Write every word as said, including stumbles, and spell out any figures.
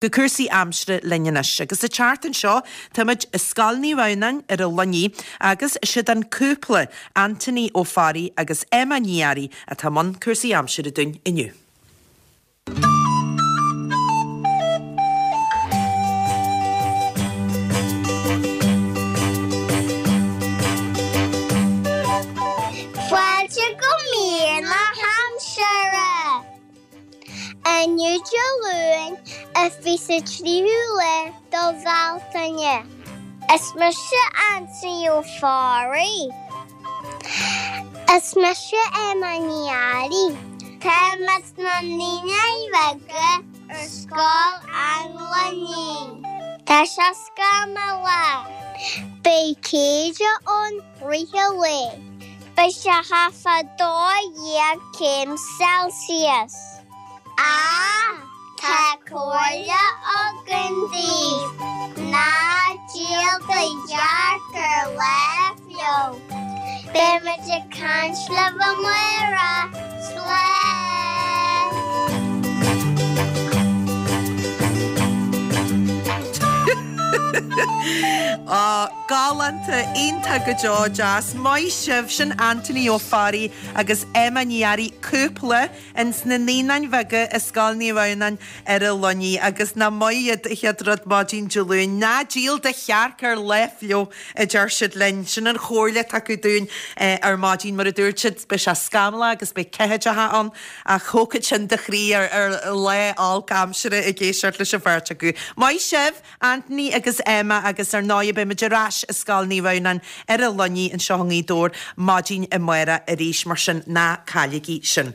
Go cúrsaí aimsire linn anois agus an tseachtain seo táimid i Scoil Naomh Adhamhnáin ar an Luinnigh agus siad an cúpla, Anthony Ó Fearraigh agus Emma Ní Fhearraigh atá i mbun cúrsaí aimsire dúinn inniu. Fáilte go mír na haimsire! Inniu Dé Luain, an fiche tríú lá do Bhealtaine. Is mise Anthony Ó Fearraigh. Is mise Emma Ní Fhearraigh. Táimid sna Naíonáin Bheaga ar Scoil an Luinnigh. Tá sé scamallach. Beidh céide ann rith an lae. Beidh sé thart fá dó dhéag céim Celsius. Ach tá comhairle againn daoibh, ná díol do chearc ar lá fliuch. Beidh muid ag caint libh amárach. Slán! Á, galánta, iontach go deo, deas. Maith sibh, sin Anthony Ó Fearraigh agus Emma Ní Fhearraigh, cúpla ins na Naíonáin Bheaga i Scoil Naomh Adhamhnáin ar an Luinnigh agus nach maith iad an chéad rud maidin Dé Luain, ná díol do chearc ar lá fliuch a deir siad linn. Sin an chomhairle atá acu dúinn ar maidin mar a dúirt siad beidh sé scamallach agus beidh ceathaideacha ann ach thógfadh sin do chroí ar ar lá olc aimsire ag éisteacht leis an bheirt acu. Maith sibh, Anthony agus Emma agus ar ndóigh beidh muid ar ais i Scoil Naomh Adhamhnáin ar an Luinnigh anseo i nGaoth Dobhair maidin amárach arís mar sin ná cailligí sin.